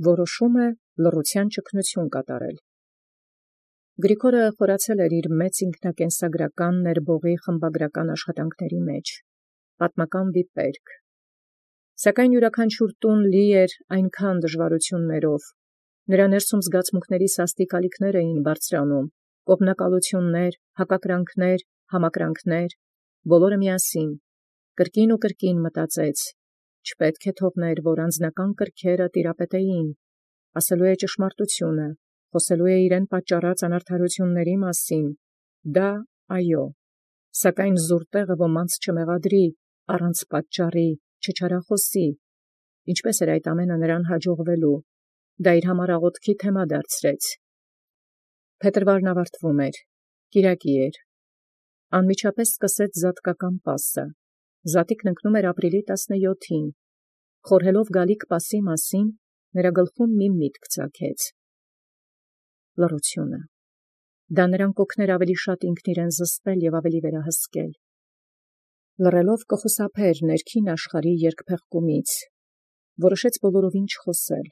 որոշում է լռության ճգնություն կատարել։ Գրիգորը խորացել էր իր մեծ ինքնակենսագրական ներբողի խմբագրական աշխատանքների մեջ, պատմական վիպերկ, սակայն յուրաքանչյուր տուն լի էր այնքան դժվարություններով, նրա ներսում զգացմունքների սաստիկ ալիքներ էին բարձրանում, կողմնակալություններ, հակակրանքներ, համակրանքներ, բոլորը միասին, կրկին ու կրկին մտածեց, չպետք է թողներ, որ անձնական կրքերը տիրապետեին, ասելու է ճշմարտությունը, խոսելու է իրեն պատճառած անարդարությունների մասին, դա այո, սակայն զուր տեղը ոմանց չմեղադրի, առանց պատճառի, չչարախոսի, ինչպես էր այդ ամենը նրան հաջողվելու, դա իր համար աղոթքի թեմա դարձրեց։ Փետրվարն ավարտվում էր, կիրակի էր, անմիջապես սկսեց զատկական պասը, զատիկն ընկնում էր ապրիլի 17-ին, խորհելով գալիք պասի մասին, նրա գլխում մի միտք ծագեց. լռությունը, դա նրան կօգներ ավելի շատ ինքն իրեն զսպել և ավելի վերահսկել, լռելով կխուսափեր ներքին աշխարհի երկփեղկումից, որոշեց բոլորովին չխոսել,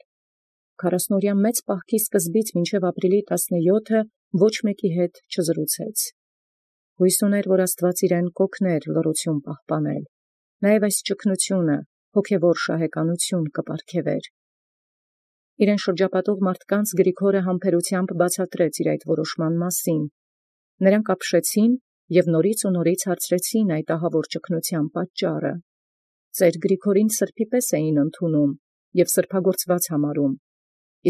40-օրյա մեծ պահքի սկզբից մինչև ապրիլի 17-ը ոչ մեկի հետ չզրուցեց, հույս ուներ, որ Աստված իրեն կօգներ լռություն պահպանել, նաև այս ճգնությունը, հոգևոր շահեկանություն կպարգևեր։ Իրեն շրջապատող մարդկանց Գրիգորը համբերությամբ բացատրեց իր այդ որոշման մասին, նրանք ապշեցին և նորից ու նորից հարցրեցին այդ ահավոր ճգնության պատճառը, ծեր Գրիգորին սրբի պես էին ընդունում և սրբագործված համարում,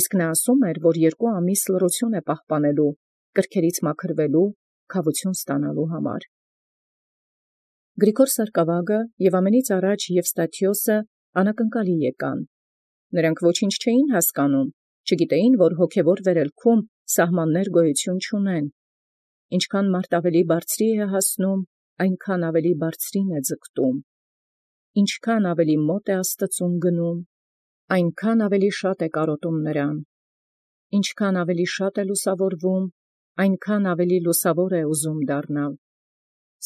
իսկ նա ասում էր, որ 2 ամիս լռություն է պահպանելու, կրքերից մաքրվելու, քավություն ստանալու համար։ Գրիգոր Սարկավագը և ամենից առաջ Եվստաթիոսը անակնկալի եկան, նրանք ոչինչ չէին հասկանում, չգիտեին, որ հոգևոր վերելքում սահմաններ գոյություն չունեն, ինչքան մարդ ավելի բարձրի է հասնում, այնքան ավելի բարձրին է ձգտում, ինչքան ավելի մոտ է Աստծուն գնում, այնքան ավելի շատ է կարոտում նրան, ինչքան ավելի շատ է լուսավորվում, այնքան ավելի լուսավոր է ուզում դառնալ,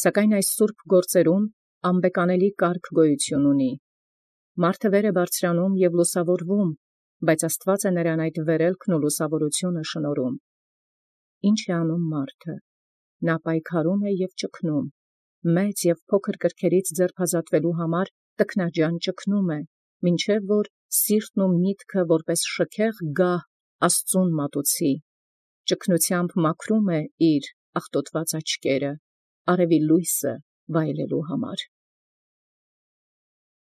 սակայն այս սուրբ գործերում անբեկանելի կարգ գոյություն ունի, մարդը վեր է բարձրանում և լուսավորվում, բայց Աստված է նրան այդ վերելքն ու լուսավորությունը շնորհում։ Ինչ է անում մարդը, նա պայքարում է և ճգնում, մեծ և փոքր կրքերից ձերբազատվելու համար տքնաջան ճգնում է, մինչև որ սիրտն ու միտքը որպես շքեղ գահ Աստծուն մատուցի, ճգնությամբ մաքրում է իր աղտոտված աչքերը, արևի լույսը վայելելու համար։